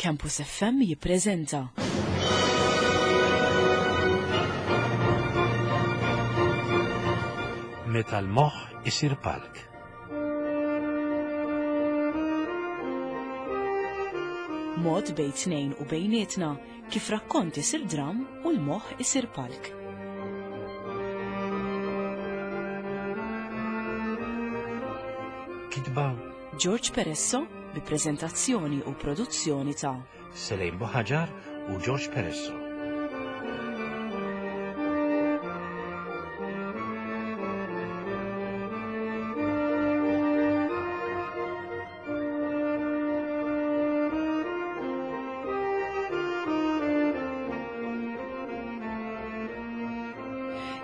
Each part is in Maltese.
Campus FM jippreżenta. Meta l-moħħ isir palk. Mod bejn tnejn u bejnietna kif rakkont isir dram u l-moħħ isir palk. Kitba George Peresso bi preżentazzjoni u produzzjoni ta' Selejn Buħaġar u George Peresso.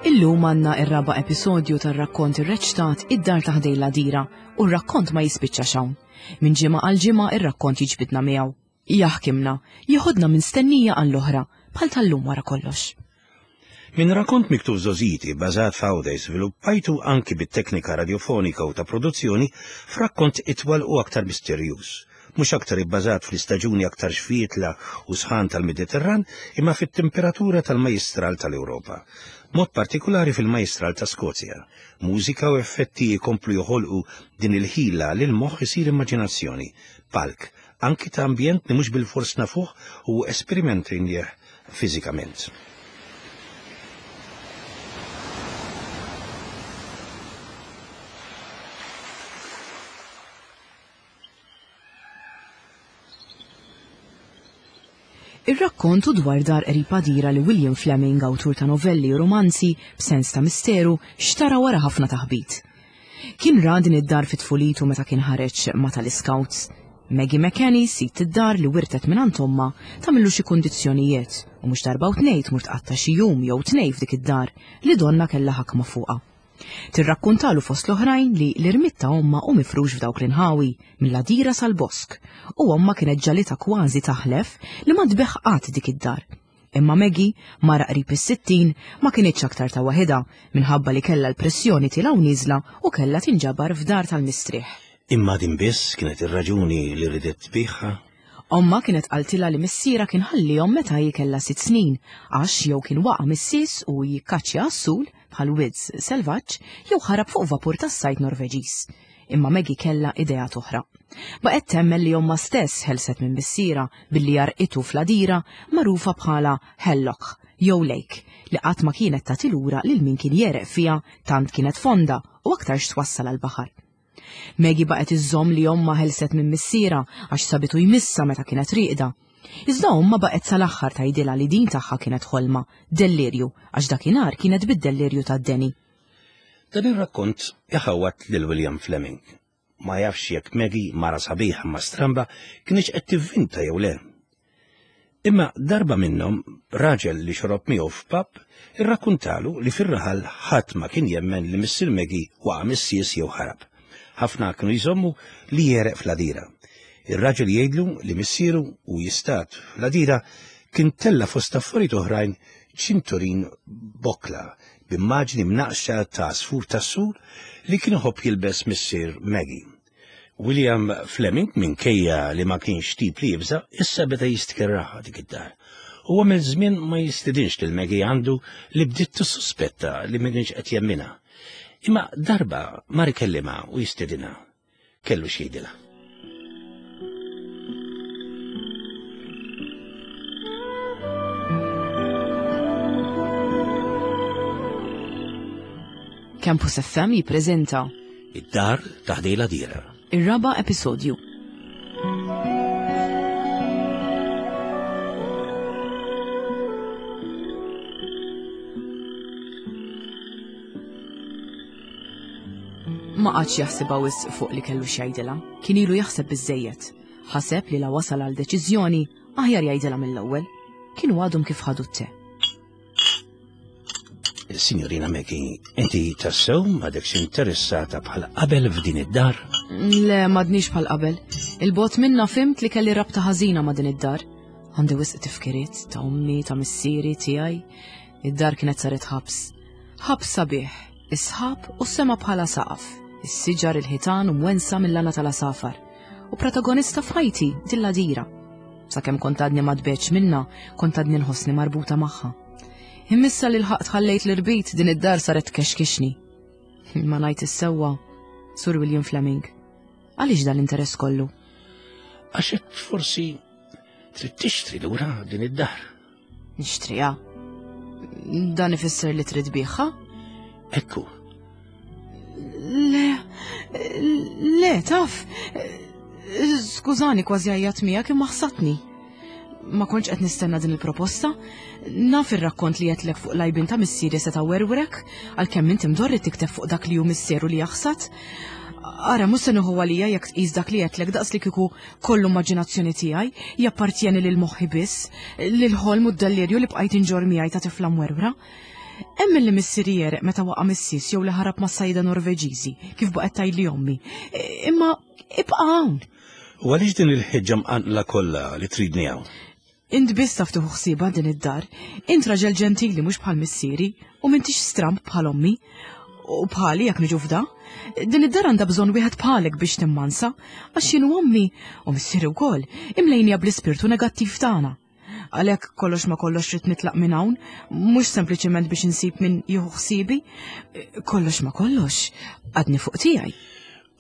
Illum għandna ir-raba' episodju tar-rakkont irreċtat Id-Dar ta' Ħdejn l-Għadira u r-rakkont ma jispiċċax hawn. Minn ġimgħa għal ġimgħa ir-rakkont jiġbidna miegħu. Jaħkimna, jeħodna minn stennija għall-oħra, bħal tal-lum wara kollox. Minn rakkont miktub żgħożiti bbażat f'Għawdex żviluppajtu anki bit-teknika radjofonika u ta' produzzjoni f'rakkont itwal u aktar misterjuż. Mhux aktar ibbażat fl-istaġuni aktar xfietla u sħan tal-Mediterran imma fit-temperatura tal-Majjistral tal-Ewropa. B'mod partikulari fil-Majjistral ta' Skozja. Mużika u effetti jkomplu joħolqu din il-ħila li l-moħħ isir immaġinazzjoni, palk, anki ta' ambjent li mhux bilfors nafuh u esperimentajnieh fiżikament. Ir-rakkont hu dwar dar qrib għadira li William Fleming, awtur ta' novelli u rumanzi b'sens ta' misteru, xtara wara ħafna taħbit. Kien ra din id-dar fi tfulitu meta kien ħareġ ma' tal-Iscouts. Maggie McKennie, sid id-dar li wirtet mingħand ommha, tagħmillu xi kundizzjonijiet u mhux darba u tnejn tmur tqatta' xi jum jew tnejn f'dik id-dar li donnha kellha ħakma fuqha. Tirrakkuntalu fost l-oħrajn li l-irmied ta' ommha hu mifrux f'dawk l-inħawi, mill-għadira sal-bosk, u ommha kienet ġagħlitha kważi taħlef li ma tbigħ qatt dik id-dar. Imma Maggie, mara qrib is-60, ma kinitx aktar ta' waħidha, minħabba li kellha l-pressjoni tielgħa u nieżla u kellha tinġabar f'dar tal-mistrieħ. Imma din biss kienet ir-raġuni li ridet tbigħha? Ommha kienet qaltilha li missierha kien ħalliehom meta hi kellha sitt snin għax jew kien waqa' mis-sies u jikkaċċja għas-sul bħal widz selvaġġ jew ħarab fuq vapur tas-sajd Norveġiż. Imma Maggie kellha ideat oħra. Baqgħet temmen li ommha stess ħelset minn missierha billi għarqitu fl-għadira magħrufa bħala Helloch jew Lake li qatt ma kienet tagħti lura lil min kien jegħreq fiha tant kienet fonda u aktarx twassal għall-baħar. Maggie baqgħet iżżomm li ommha ħelset minn missierha għax sabitu jmissha meta kienet rieqda. Iżda ommha baqgħet sal-aħħar tgħidilha li din tagħha kienet ħolma, dellirju, għax dakinhar kienet bid-dellirju tad-deni. Dan ir-rakkont iħawwad lil William Fleming. Ma jafx jekk Maggie, mara sabiħa imma stramba, kinitx qed tivvinta jew le. Imma darba minnhom, raġel li xorob miegħu f'pub irrakkuntalu li fir-raħal ħadd ma kien jemmen li missier Maggie waqa' mis-sies jew ħarab. Ħafna kienu jżommu li jegħreq fl-għadira. Ir-raġel jgħidlu li missieru u jistad fl-għadira kien tella' fost affarijiet oħrajn ċinturin b'bokkla b'immaġni mnaqqxa ta' għasfur tas-sur li kien iħobb jilbes missier Maggie. William Fleming, minkejja li ma kienx tip li jibża', issa beda jistkerraha dik id-dar. U għamel żmien ma jistidinx lil Maggie għandu li bdiet tissuspetta li ma kienx qed jemminha. Imma darba mar ikellimha u jistidinha. Kellu x'jgħidilha. Campus FM jippreżenta Id-dar ta' ħdej l-għadira. Ir-raba' episodju. Ma qagħadx jaħsibha wisq fuq li kellu x'jgħidilha. Kien ilu jaħseb biżżejjed. Ħaseb li la wasal għal deċiżjoni, aħjar jgħidilha mill-ewwel. Kienu għadhom kif ħadu t-te. Signorina Maggie, inti tassew m'għadekx interessata bħal qabel f'din id-dar? Le, m'għadnix bħal qabel. Il-bot minna fimt li kelli rabta ħażina ma' din id-dar. Għandi wisq tifkiriet ta' ommi, ta' missieri, tiegħi. Id-dar kienet saret ħabs. Ħabs sabiħ, is-sħab u s-sema bħala saqaf, is-siġar il-ħitan u mwensa mill-għana tal-asafar. U protagonista f'ħajti, dilla dira. Sakemm kont għadni ma tbeċ minna, kont għadni nħossni marbuta magħha. Immissa li l-ħaqt ħallejt l-irbit din id-dar saret tkexkixni. Ma ngħid is-sewwa, Sur William Fleming. Għaliex dan l-interess kollu? Għax hekk forsi trid tixtri lura din id-dar. Nixtriha. Dan ifisser li trid biħha? Ekku. Le, le, taf. Skużani kważi għajjat miegħek imma ħsatni. Ma kontx qed nistenna din il-proposta. Naf ir-rakkont li għedtlek fuq l-għajbien ta' missieri seta' werwrek, għalkemm inti mdorri tikteb fuq dak li hu misteru li jaħsad. Ara, mhux se nieħu għalija jekk tqis dak li għedtlek daqs li kieku kollu immaġinazzjoni tiegħi, jappartjeni lil moħħi biss, lil ħolm u d-delirju li bqajt inġorr miegħi ta' tifla mwerwra. Emmen li missieri jereq meta waqa' mis-sis jew li ħarab mas-sajda Norveġiżi, kif baqgħet tgħidli ommi. Imma ibqa' hawn. U għaliex din il-ħeġġa mqanqla kollha li tridni hawn? Int biss taf tieħu ħsiebha din id-dar. Int raġel ġentili mhux bħal missieri u m'intix stramb bħal ommi. U bħali jekk niġu f'da. Din id-dar għandha bżonn wieħed bħalek biex timmansa, għax jien u ommi u missieri wkoll imlejnija bl-ispirtu negattiv tagħna. Għalhekk kollox ma kollox rrid nitlaq minn hawn, mhux sempliċement biex insib min jieħu ħsiebi, kollox ma kollox għadni fuq tiegħi.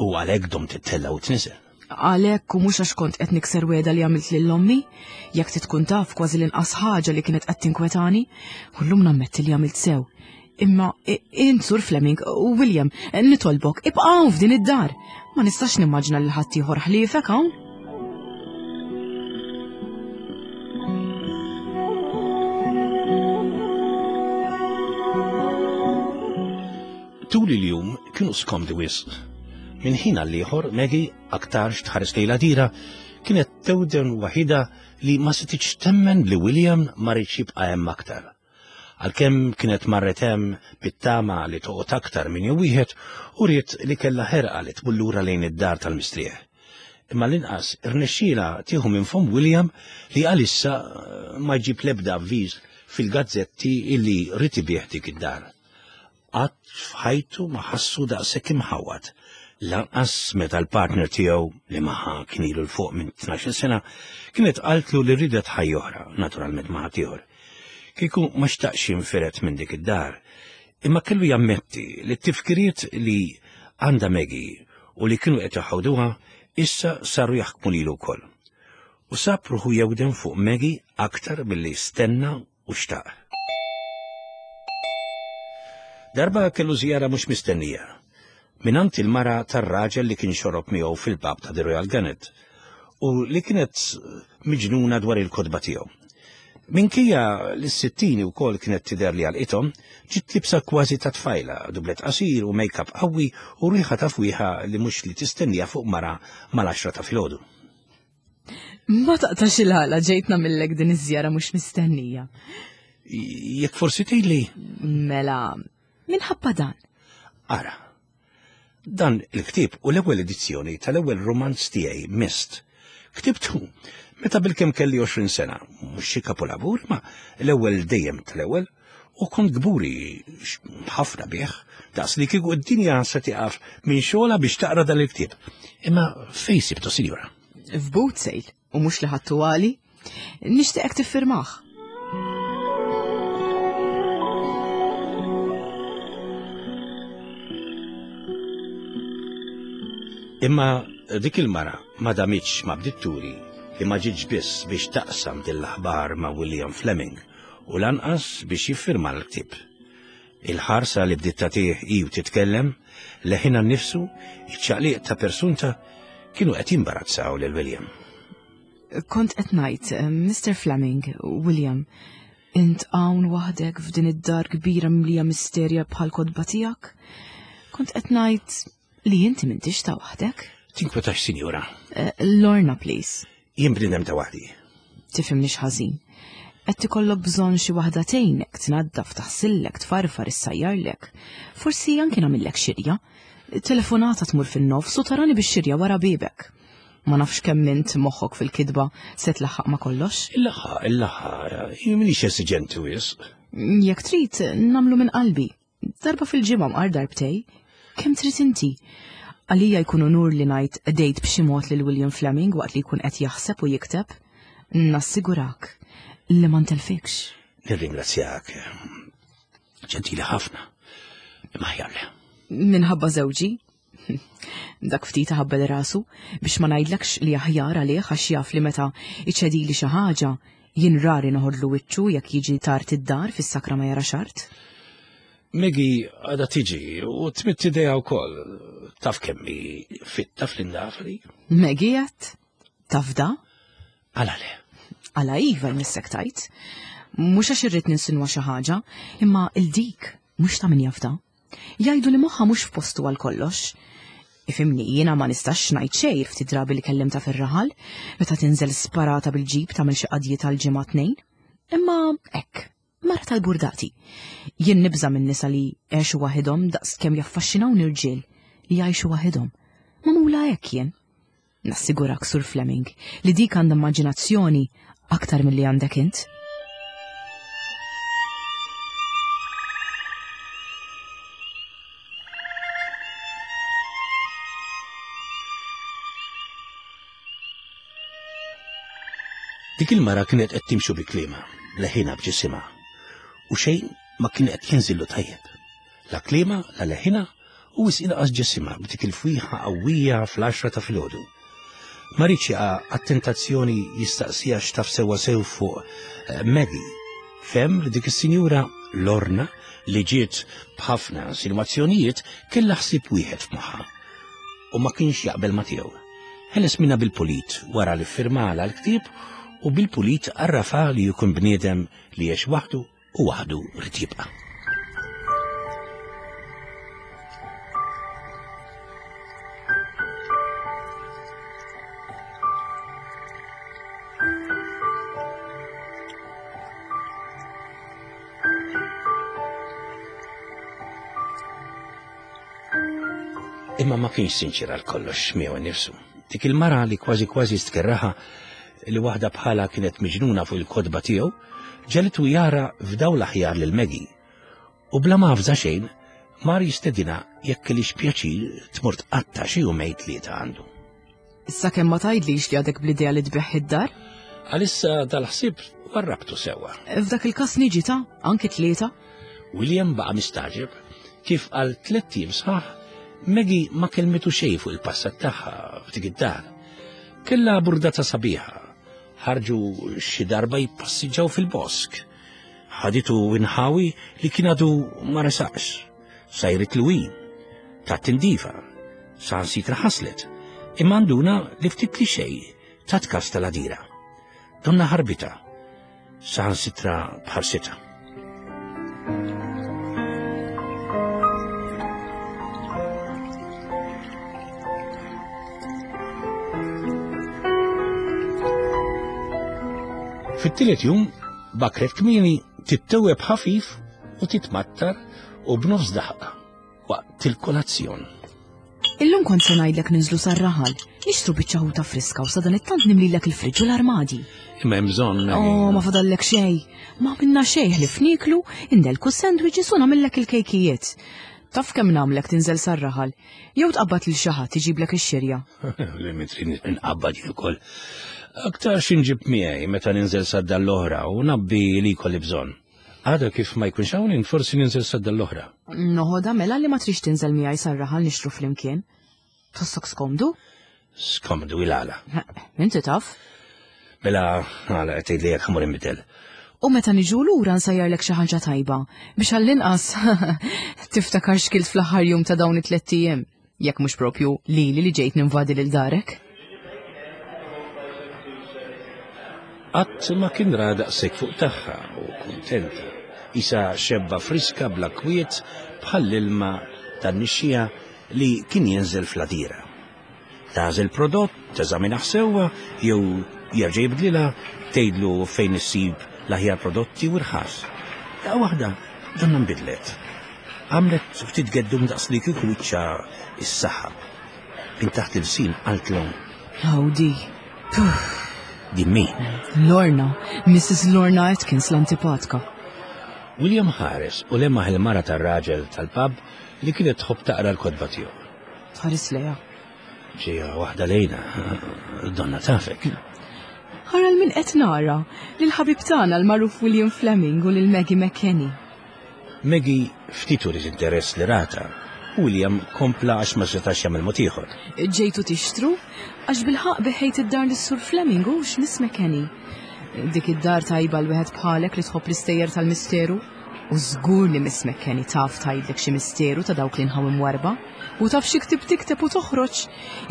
U għalhekk domt tittella' u tniżel. Għalhekk u mhux għax kont qed nikser wegħda li għamilt lil ommi, jekk trid tkun taf kważi l-inqas ħaġa li kienet qed tinkwetani, u llum nammetti li għamilt sew. Imma int Sur Fleming, William, nitolbok, ibqa' hawn f'din id-dar. Ma nistax nimmaġina lil ħaddieħor ħliefek hawn. Tul il-jum kienu skomdi wisq. Minn ħin għal ieħor Maggie aktarx tħares lejn l-għadira kienet tewden waħidha li ma setgħetx temmen li William ma riedx jibqa' hemm aktar. Għalkemm kienet marret hemm bit-tama li toqgħod aktar minn jum wieħed, uriet li kellha ħerqa li tmur lura lejn id-dar tal-mistrieħ. Imma l-inqas irnexxielha tieħu minn fomm William li għalissa ma jġib l-ebda avviż fil-gazzetti illi ried ibigħ dik id-dar. Qatt f'ħajtu ma ħassu daqshekk imħawwad, lanqas meta l-partner tiegħu, li magħha kien ilu 'l fuq minn tnax-il sena, kienet qaltlu li riedet ħajja oħra, naturalment ma' ħaddieħor. Kieku ma xtaqx jinfired minn dik id-dar, imma kellu jammetti li t-tifkiriet li għandha Maggie u li kienu qed iħawduha issa saru jaħkmu lilu wkoll. U sab ruħu jewden fuq Maggie aktar milli stenna u xtaq. Darba kellu żjara mhux mistennija mingħand il-mara tar-raġel li kien xorob miegħu fil-pub ta' The Royal Gannet u li kienet miġnuna dwar il-kotba tiegħu. Minkejja li s-sittini wkoll kienet tidher li għalqithom, ġiet libsa kważi ta' tfajla, dublet qasir u make-up qawwi u riħa ta' fwieħa li mhux li tistennija fuq mara mal-għaxra ta' filgħodu. Ma taqtax il-ħala ġejt nagħmillek din iż-żjara mhux mistennija. Jekk forsi tgħidli. Mela, minħabba dan. Ara, dan il-ktieb u l-ewwel edizzjoni tal-ewwel romanz tiegħi Mist. Ktibtu meta bilkemm kelli 20 sena, mhux xi kapolavur, ma l-ewwel dejjem tal-ewwel, u kont kburi ħafna bih, daqs li kieku d-dinja se tiqaf minn xogħla biex taqra dan il-ktieb. Imma fejn sibtu, sinjura? F'boot sale, u mhux li ħadtu għali. Nixtieqek tiffirmah. Imma dik il-mara ma damitx ma bdiet turi li ma ġietx biss biex taqsam din l-aħbar ma' William Fleming u lanqas biex jiffirma l-ktieb. Il-ħarsa li bdiet tagħtih hi u titkellem, leħinha nnifsu, iċ-ċaqliq ta' persunta kienu qed jimbarazzaw lil William. Kont qed ngħid, eh, Mr. Fleming, William, int hawn waħdek f'din id-dar kbira mimlija misterja bħal kotba tiegħek? Kont qed ngħid li inti m'intix ta' waħdek? Tinkwetax, sinjura. Eh, Lorna, please. Jien bniedem ta' waħdi. Tifhimnix ħażin. Qed ikollok bżonn xi waħda tgħinek, tnaddaf, taħsillek, tfarfar, issajjarlek. Forsi anki nagħmillek xirja. Telefonata tmur fin-nofs u tarani bix-xirja wara biebek. Ma nafx kemm int moħħok fil-kitba se tlaħħaq ma' kollox. Il-laħħa, il-laħħa, jien m'iniex esiġenti wisq. Jekk trid, nagħmlu minn qalbi. Darba fil-ġimgħa mqar darbtej. Kemm trid inti? Għalija jkun unur li ngħid qdejt b'xi mod lil William Fleming waqt li jkun qed jaħseb u jikteb. Nassigurak li ma ntelfikx. Nirringrazzjak. Ġentili ħafna. Imma aħjar le. Minħabba żewġi? Dak ftit ħabbel rasu biex ma ngħidlekx li aħjar għalih għax jaf li meta iċedili xi ħaġa jien rari noħodlu wiċċu jekk jiġi tard id-dar fis-sakra ma jara xart. Maggie għada tiġi u tmitt idea wkoll. Taf kemm hi fitta fl-indafri. Maggie għat? Taf da? Għala le. Għala iva jmissek tajt. Mhux għax irrid ninsinwa xi ħaġa, imma il-dik mhux ta' min jafda. Jgħidu li moħħha mhux f'postu għal kollox. Ifimni, jiena ma nistax ngħid xejn ftit drabi li kellimta fir-raħal, meta tinżel sparata bil-ġib tagħmel xi qadjiet għal ġimgħa tnejn. Imma hekk, mara tal-burdati. Jien nibża' minn nisa li għexu waħidhom daqs kemm jaffaxxinawni rġiel li jgħixu waħidhom. Magħmula hekk jien. Nassigurak, Sur Fleming, li dik għandha immaġinazzjoni aktar milli għandek int. Dik il-mara kienet qed timxu bi kliema, leħina b'ġisimha, u xejn ma kien qed jinżillu tajjeb. La kliema, la leħina, u wisq inqas ġisimha b'dik il-fwieħa qawwija fl-għaxra ta' filgħodu. Ma riedx jaqa' għat-tentazzjoni jistaqsiha x'taf sewwa sew fuq eh, Maggie. Fehem li dik is-sinjura Lorna li ġiet b'ħafna insinwazzjonijiet kellha ħsieb wieħed f'moħħha u ma kienx jaqbel ma tiegħu. Ħeles minna bil-pulit wara li ffirmala l-ktieb u bil-pulit għarrafa li jkun bniedem li għex waħdu u waħdu rrid jibqa'. Imma ma kienx sinċir għal kollox miegħu nnifsu. Dik il-mara li kważi kważi stkerraha li waħda bħala kienet miġnuna fuq il-kotba tiegħu, ġegħlitu jara f'dawl aħjar lil Maggie u bla ma avża xejn mar jistedinha jekk kellhiex pjaċir tmur tqatta' xi jumejn tlieta għandu. Issa kemm ma tgħidlix li għadek bl-idea li tbigħ id-dar? Għalissa dal-ħsieb warrabtu sewwa. F'dak il-każ niġi ta' anki tlieta. William baqa' mistagħġeb kif għal tlett ijiem sħaħ Maggie ma kellmitu xejn fuq il-passat tagħha f'dik id-dar. Kellha burdata sabiħa Ħarġu xi darba jippassiġġaw fil-bosk. Ħaditu inħawi li kien għadu ma resaqx. Sajrit l ta' tindifa, saħansitra ħaslet, imma nduna li ftit li xej ta' tkas tal-għadira. Donna ħarbita, saħansitra bħarsita. Fit-tielet jum, bakret kmieni tittewweb ħafif u titmattar u b'nofs daħqa waqt il-kolazzjon. Illum kont se ngħidlek ninżlu sar-raħal, nixtru biċċa ħuta friska u sadanittant nimlilek il-friġġ u l-armadi. Imma hemm bżonn. Oh, ma fadallek xejn. Ma minna xejn ħlief nieklu, indelku sandwiches u nagħmillek il-kejkijiet. Taf kemm nagħmlek tinżel sar-raħal, jew tqabbad lil xi ħadd iġiblek ix-xirja. Li mitri nqabbad jien ukoll. Aktar x'inġib miegħi meta ninżel sad-dar l-oħra u nabbi li jkolli bżonn. Għada kif ma jkunx hawn forsi ninżel sadda l-oħra. Noħodha mela li ma trix tinżel miegħi sar-raħal nixtru flimkien. Tħossok skomdu? Skomdu il-għala. Inti taf. Mela għala qed tgħidli jekk ħamur inbidel. U meta niġu lura nsajjarlek xi ħaġa tajba biex għall-inqas tiftakar x'kilt fl-aħħar jum ta' dawn it-tlett ijiem. Jekk mhux propju lili li ġejt ninvadi lil darek. Qatt ma kien ra daqshekk fuq tagħha u kuntenta. Isa xebba friska bla kwiet bħall-ilma tan-nixxiegħa li kien jinżel fl-għadira. Tagħżel prodott, teżaminah sewwa jew jerġa' jibdlilha, tgħidlu fejn issib l-aħjar prodotti u rħas. Daqqa waħda donna nbidlet. Għamlet ftit geddum daqs li kieku wiċċha issaħħab. Minn taħt il-sin qaltlu. Howdy. Din min? Lorna, Mrs. Lorna Atkins l-antipatka. William ħares u lemaħ il-mara tar-raġel tal-pub li kienet tħobb taqra l-kotba tiegħu. Tħares lejha. Ġejja waħda lejna, donna tafek. Ara 'l min qed nara, lill-ħabib tagħna l-magħruf William Fleming u lil Maggie McKenny. Maggie ftit uriet interess li ratha, u William kompla għax ma setax jagħmel mod ieħor. Ġejtu tixtru? Għax bilħaqq biħejt id-dar lis-Sur Fleming hux, Miss McKenny? Dik id-dar tajba għal wieħed bħalek li tħobb l-istejjer tal-misteru. U żgur li Miss McKenny taf tgħidlek xi misteru ta' dawk l-inħawi mwarrba. U taf xi ktieb tikteb u toħroġ.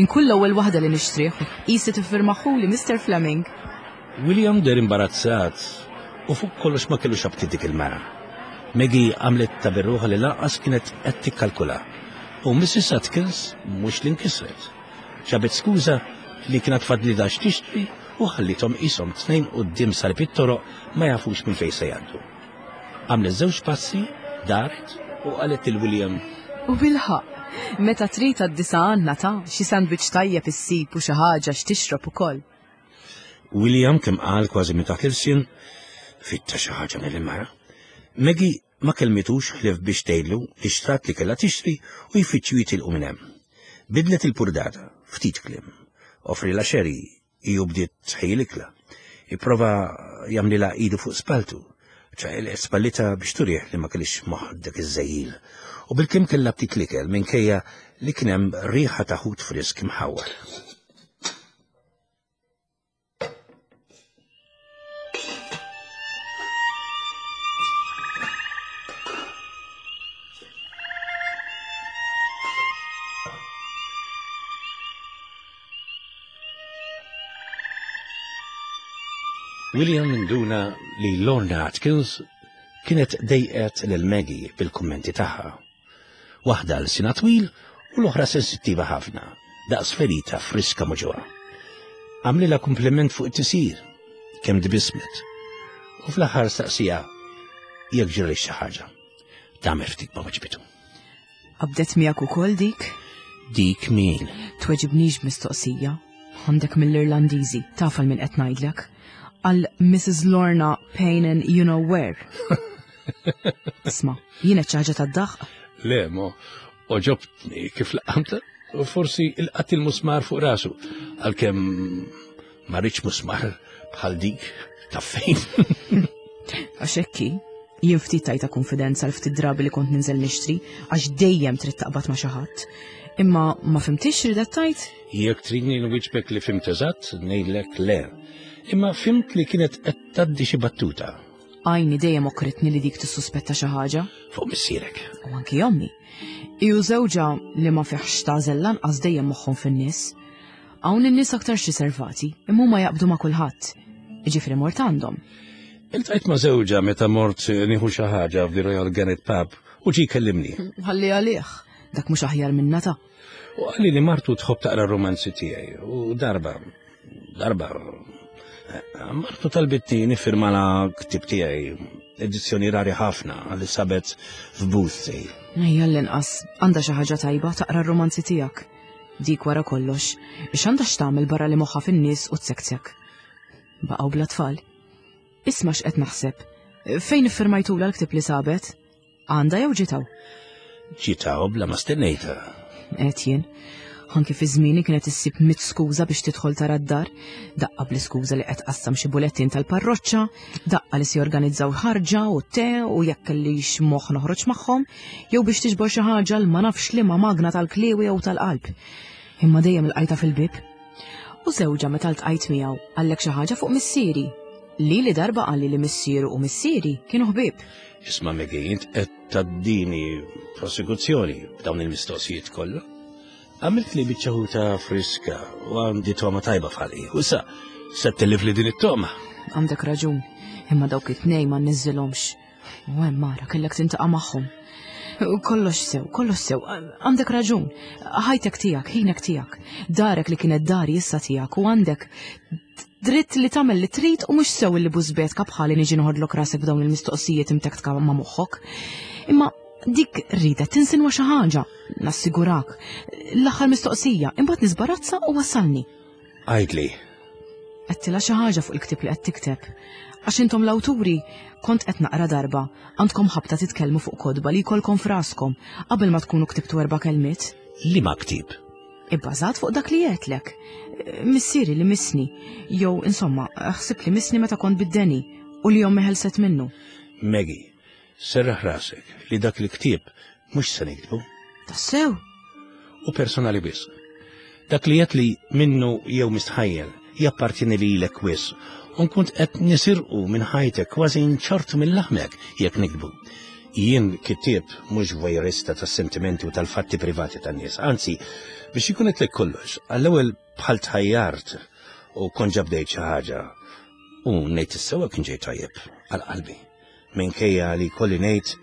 Inkun l-ewwel waħda li nixtrih u qisi tiffirmahuli Mister Fleming. William deher imbarazzat u fuq kollox ma kellux aptit dik il-mara. Maggie għamlet ta' bir-ruħha li lanqas kienet qed tikkalkula. U Mrs. Atkins mhux li nkisret. Ġabet skuża li kien għad fadlilha x'tixtri u ħallithom qishom tnejn quddiem salib it-toroq ma jafux minn fejn se jgħaddu. Għamlet żewġ passi, daret u qalet lil William. U bilħaqq, meta trid għad-disa' għandna ta' xi sandwich tajjeb issib u xi ħaġa x'tixrob ukoll. William kemm qal kważi minn taħt l-ilsien, fitta xi ħaġa mill-mara. Maggie ma kellmitux ħlief biex tgħidlu li xtrat li kellha tixtri u jfittxu jitilqu minn hemm. Bidlet il-purdata, ftit kliem. Offrilha xeri, hi u bdiet tħejji l-ikla. Ipprova jagħmlilha idu fuq spalltu. Ċaqilqet spallitha biex turih li ma kellhiex moħħ dak iż-żejjil. U bilkemm kellha ftit l-ikel minkejja li kien hemm riħa ta' ħut frisk imħawwar. William induna li Lorna Atkins kienet dejqet lil Maggie bil-kummenti tagħha. Waħda lsienha twil u l-oħra sensittiva ħafna, daqs ferita friska muġugħa. Għamlilha kumpliment fuq it-tisir, kemm tbissmet. U fl-aħħar staqsija jekk ġralix xi ħaġa. Tagħmel ftit ma weġbitu. Qabdet miegħek ukoll dik? Dik min? Tweġibnix b'mistoqsija. Għandek mill-Irlandiżi, taf għal min qed ngħidlek. Għal Mrs. Lorna Payne in You Know Where. Isma, jien qed xi ħaġa tad-daħq? Le, mo, oġobtni kif laqamta u forsi il-qatt il-musmar fuq rasu, għalkemm ma rridx musmar bħal dik ta' fejn. Għax hekk jien ftit tajta konfidenza l ftit drabi li kont ninżel nixtri, għax dejjem trid taqbad ma' xi ħadd. Imma ma fimtix ridet tajt? Jekk tridni nwiġbek li fimt eżatt, ngħidlek le. Imma fimt li kienet qed tgħaddi xi battuta. Għajni dejjem okritni li dik tissuspetta xi ħaġa. Fuq missierek. U anki ommi. Iju żewġha li ma fiħx tagħżel lanqas dejjem moħħhom fin-nies. Hawn in-nies aktarx riservati, imma huma jaqbdu ma' kulħadd. Jiġifieri mort għandhom. Iltqajt ma' żewġha meta mort nieħu xi ħaġa f'The Royal Gannet Pub u ġie jkellimni. Ħalli għalih, dak mhux aħjar minna ta'. U qalli li martu tħobb taqra r-romanzi tiegħi u darba, darba, martu talbitni niffirmala ktieb tiegħi, edizzjoni rari ħafna li sabet f'booth sale. Ejja l-inqas, għandha xi ħaġa tajba taqra r-romanzi tiegħek. Dik wara kollox, x'għandha x'tagħmel barra li moħħha fin-nies u tsektsek. Baqgħu bla tfal. Isma' x'qed naħseb. Fejn iffirmajtulha l-ktieb li sabet? Għandha jew ġiet hawn? Ġiet hawn bla ma stennejtha. Għedt jien. Anki fi żmieni kienet issib mit skuża biex tidħol tara d-dar, daqqa bl-iskuża li qed tqassam xi bulettin tal-parroċċa, daqqa li se jorganizzaw ħarġa u te u jekk kellix moħħ noħroġ magħhom, jew biex tiġbor xi ħaġa l ma nafx liema magna tal-kliewi jew tal-qalb. Imma dejjem ilqajtha fil-bieb. U żewġha meta ltqajt miegħu qallek xi ħaġa fuq missieri. Lili darba qalli li missieru u missieri kienu ħbieb. Isma' Maggie, int qed tgħaddini prosekuzzjoni b'dawn il-mistoqsijiet kollha. Għamilt li biċċa ħuta friska u għandi togħma tajba f'ħalqi. U issa se tellifli din it-togħma. Għandek raġun, imma dawk it-tnejn ma nniżżilhomx. U hemm mara kellek tintaqa' magħhom. Kollox sew, kollox sew, għandek raġun. Ħajtek tiegħek, ħinek tiegħek. Darek li kienet dari issa tiegħek u għandek dritt li tagħmel li trid u mhux sew li bużbetka bħali niġi noħodlok rasek b'dawn il-mistoqsijiet imtektka ma' moħħok. Imma dik ridet tinsinwa xi ħaġa, nassigurak. L-aħħar mistoqsija, imbagħad nisbarazza u wassalni. Għidli. Għedtilha xi ħaġa fuq il-ktieb li qed tikteb. Għax intom l-awturi, kont qed naqra darba, għandkom ħabta titkellmu fuq kotba li jkollkom f'raskom qabel ma tkunu ktibtu erba' kelmiet. Liema ktieb? Ibbażat fuq dak li għedtlek. Missieri li missni, jew insomma, ħsibt li missni meta kont bid-deni u li ommi ħelset minnu. Maggie, serraħ rasek li dak il-ktieb mhux se niktbu. Tassew? U personali wisq. Dak li għedt li minnu jew mistħajjel jappartieni lilek wisq u nkun qed nisirqu minn ħajtek kważi nċortu minn laħmek jekk niktbu. Jien kittieb mhux voyeurista tas-sentimenti u tal-fatti privati tan-nies. Anzi, biex ikun qedlek kollox, għall-ewwel bħal tħajjart u kont ġa bdejt xi ħaġa u ngħid is-sewwa kien ġej tajjeb għal qalbi. Minkejja li kolli ngħid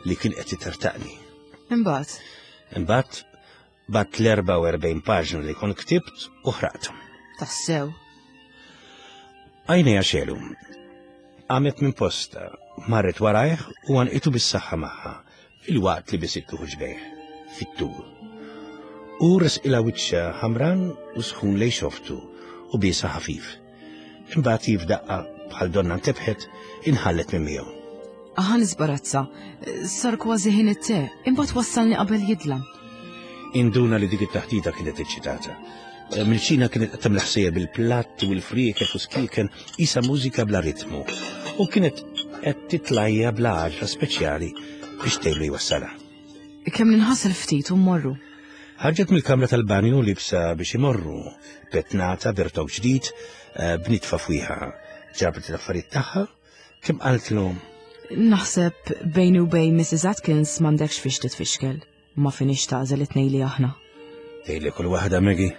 li kien qed itertaqni. Imbagħad? Imbagħad Bgħatt l-44 paġna li kont ktibt u ħraqthom. Tassew. Għajnejha xegħlu. Qamet minn postha, marret warajh u għanqitu bis-saħħa magħha, filwaqt li bisitlu ħuġbejh, fit-tul. Hu resqilha wiċċha ħamran u sħun lejn xoftu u biesha ħafif. Imbagħad hi f'daqqa bħal donna ntebħet inħallet minn miegħu. Aħa nisbarazza, sar kważi ħin it-te, imbagħad wassalni qabel jidlam. Induna li dik it-taħdita kienet eċċitata. Eh, Milċina kienet qed tagħmel ħsejja bil-platt u l-frieket u skieken isa mużika bla ritmu u kienet qed titlajja bla għaġla speċjali biex tgħidlu jwassalha. Kemm ninħasel ftit u mmorru. Ħarġet mill-kamra tal-banju libsa biex imorru, petnata b'irtok ġdid, eh, b'nitfa fwiħa. Ġabret l-affarijiet tagħha, kemm qaltlu. Naħseb bejni u bejn Mrs. Atkins m'għandekx fiex titfixkel, ma finix tagħżel it-tnejn li aħna. Tgħidli kull waħda Maggie.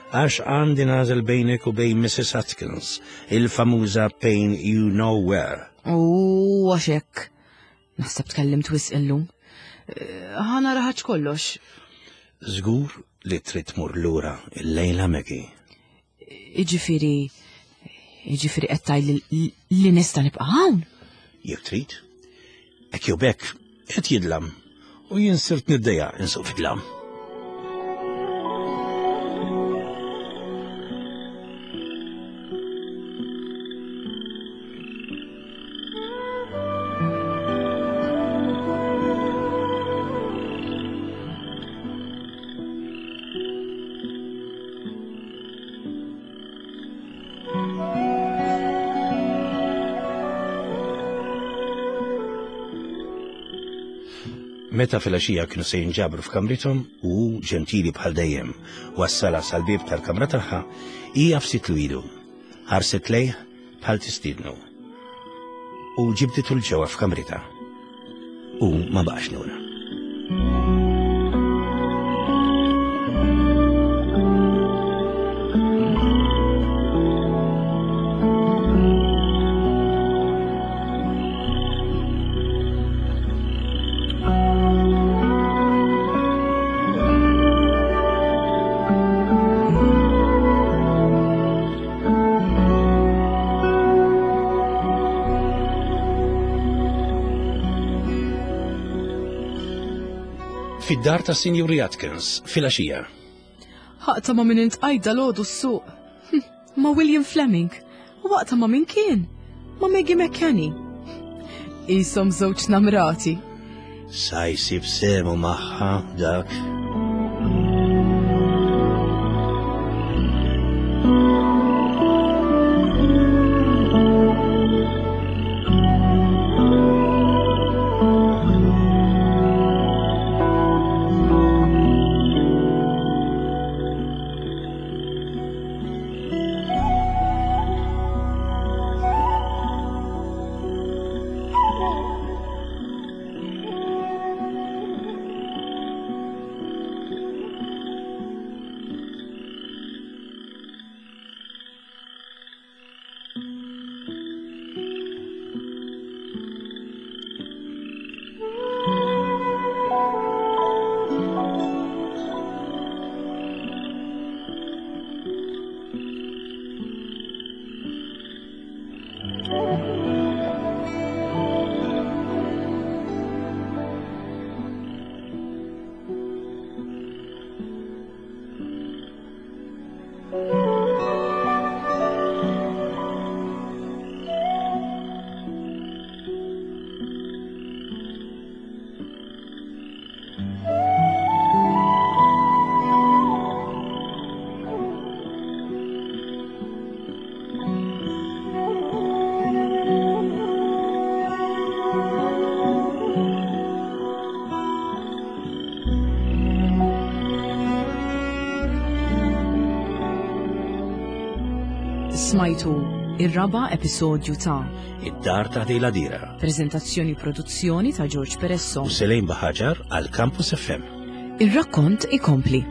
Għax għandi nagħżel bejnek u bejn Mrs. Atkins, il-famuża pain you know where. U għax hekk. Naħseb tkellimt wisq illum. Eh, ħa nara ħaġ kollox. Żgur li trid tmur lura il-lejla Maggie. Iġifieri iġifieri qed tgħid li nista' nibqa' hawn? Jekk trid. Hekk jew bekk qed jidlam u jien sirt niddejja insuq fid-dlam. Meta filgħaxija kienu se jinġabru f'kamrithom u hu ġentili bħal dejjem wassalha sal-bieb tal-kamra tagħha, hi għafsitlu idu. Ħarset lejh bħal tistiednu. U ġibditu 'l ġewwa f'kamritha. U ma baqax lura. Fid-dar ta' Sinjuri Atkins, filgħaxija. Ħaqta ma' min intqajt dal-għodu s-suq. Hm, ma' William Fleming. U waqta ma' min kien? Ma' Maggie McKenny. Isom żewġ namrati. Sa jsib semu magħha dak. Smajtu ir-raba' episodju ta' Id-dar ta' Dejla Dira. Prezentazzjoni produzzjoni ta' George Peresso. U Selejn Baħaġar għal Campus FM. Ir-rakkont ikompli.